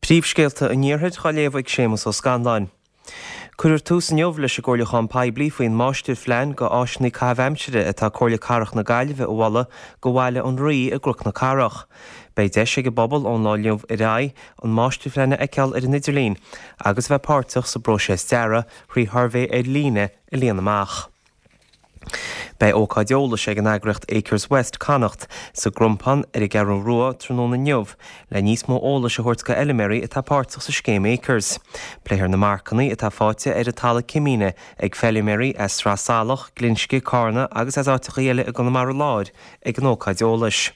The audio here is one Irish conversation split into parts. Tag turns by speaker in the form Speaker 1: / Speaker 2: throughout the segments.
Speaker 1: Príomhscéalta an Iarthair á léamh ag Séamus Ó Scanláin. Cuirfear tús inniu leis an gcomhairliúchán poiblí faoin máistirphlean go áiseanna caitheamh aimsire atá Comhairle Cathrach na Gaillimhe a mholadh go Bhaile an Rí i gCnoc na Cathrach. Beidh deis ag an bpobal ón lá inniu ar aghaidh an máistirphlean a fheiceáil ar an idirlíon agus a bheith páirteach sa bpróiseas dearaidh thrí shuirbhé ar líne a líonadh amach. Beidh ócáid eolais ag an eagraíocht Acres West Connacht sa gCrompán ar an gCeathrú Rua tráthnóna inniu le níos mó eolais a thabhairt go fheilméaraí atá páirteach sa scéim Acres. Pléifear na marcanna atá faighte ar an talamh cimíne ag feilméaraí as Sraith Salach, Glinsce, Cárna agus as áiteacha eile i gConamara Láir ag an ócáid eolais.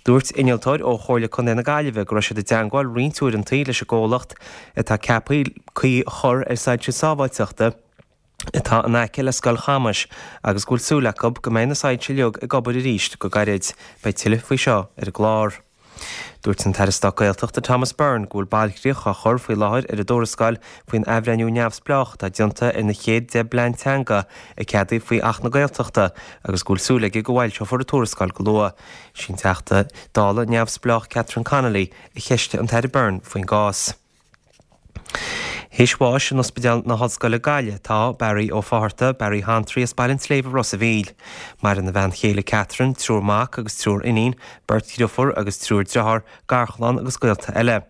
Speaker 1: Dúirt innealtóir ó Chomhairle Contae na Gaillimhe go raibh siad i dteangmháil roinnt uaireantaí leis an gcomhlacht atá ceaptha caoi a chur ar soilse sábháilteachta atá in aice le Scoil Chamais agus go bhfuil súil acu go mbeidh na soilse uilig ag obair arís go gairid. Beidh tuilleadh faoi seo ar an gclár. Dúirt an tAire Stáit Gaeltachta Thomas Byrne go bhfuil bailchríoch á chur faoi láthair ar an dtuarascáil faoin athbhreithniú neamhspleách atá déanta ar na chéad 10 bplean teanga a ceadaíodh faoi Acht na Gaeltachta agus go bhfuil súil aige go bhfoilseofar an tuarascáil go luath. Sí an Teachta Dála neamhspleách Catherine Connolly a cheistigh an tAire Byrne faoin gcás. Théis bháis in Ospidéal na hOllscoile Gaillimh atá Barry Ó Fátharta, Barry Hantraí as Baile an tSléibhe Ros a' Mhíl. Maireann a bhean chéile Catherine, triúr mac agus triúr iníon, beirt dhriofúr agus triúr driotháir, garchlann agus gaolta eile.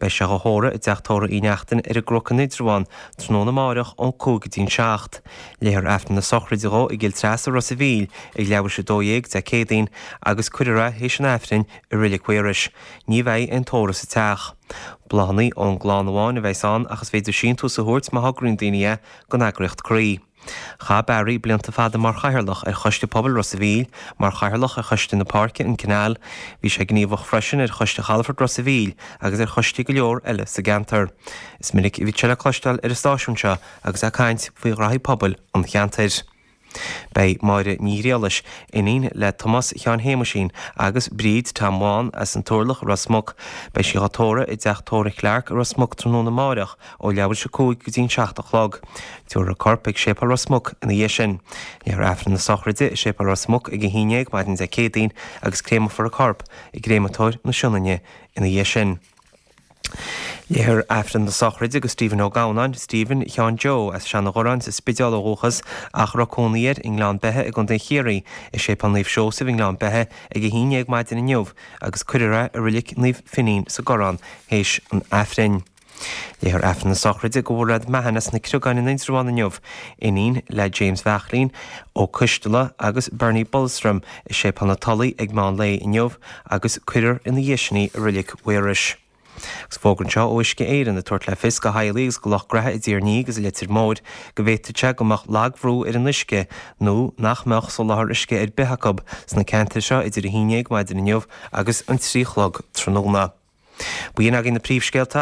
Speaker 1: Beidh sé dhá thórramh i dTeach Tórraimh Uí Neachtain ar an gCnoc in Indreabhán tráthnóna amáireach ón 5 go dtí'n 7. Léifear Aifreann na sochraide dhó i gCill Treasa Ros a' Mhíl ag leathuair théis 12 Dé Céadaoin agus cuirfear é théis an Aifrinn i Reilig Mhaorais. Ní bheidh aon tórramh sa teach. Bláthanna ón gclann amháin a bheas ann ach is féidir síntiús a thabhairt má thograíonn daoine é don eagraíocht Croí. Chaith Barry blianta fada mar chathaoirleach ar Choiste Pobail Ros a' Mhíl, mar chathaoirleach ar Choiste na Páirce, An Canal. Bhí sé gníomhach freisin ar Choiste Chalafort Ros a' Mhíl agus ar choistí go leor eile sa gceantar. Is minic a bhí sé le cloisteáil ar an stáisiún seo agus é ag caint faoi ghraithí pobail an cheantair. Beidh Máire Ní Ghriallais, iníon le Tomás Sheáin Shéamuisín agus Bríd Tom Bhán as an Turlach i Ros Muc, beidh sí dhá tórramh i dTeach Tórraimh Clarke i Ros Muc tráthnóna amáireach ó leathuair théis 5 go dtí'n 7 a chlog. Tabharfar a corp ag Séipéal Ros Muc ina dhiaidh sin. Léifear Aifreann na sochraide i Séipéal Ros Muc ag 11 maidin Dé Céadaoin agus créamfar a corp i gCréamatóir na Sionainne ina dhiaidh sin. Léifear Aifreann na sochraide do Stephen Ó Gabhnáin, Stephen Sheáin Joe, as Seanadh Ghoráin sa Spidéal ó dhúchas ach a raibh cónaí air i nGleann Beithe i gContae Chiarraí, i Séipéal Naomh Seosamh i nGleann Beithe ag 11 maidin inniu agus cuirfear é i Roilic Naomh Finín sa gCorrán théis an Aifrinn. Léifear Aifreann na sochraide do Mhairéad Mahon as na Criogáin in Indreabhán inniu, iníon le James Bheachlín Ó Coisteala agus Bernie Bulstrom i Séipéal na Tulaí ag meán lae inniu agus cuirfear ina dhiaidh sin í i Roilic Mhaorais. Agus fógra anseo ó Uisce Éireann ag tabhairt le fios do theaghlaigh agus do lucht graithe i dTír an Fhia agus i Leitir Móir go bhféadfadh sé go mbeadh lagbhrú ar an uisce nó nach mbeadh soláthar uisce ar bith acu sna ceantair seo idir 11 maidin inniu agus an 3 chlog tráthnóna. B'in agaibh na príomhscéalta.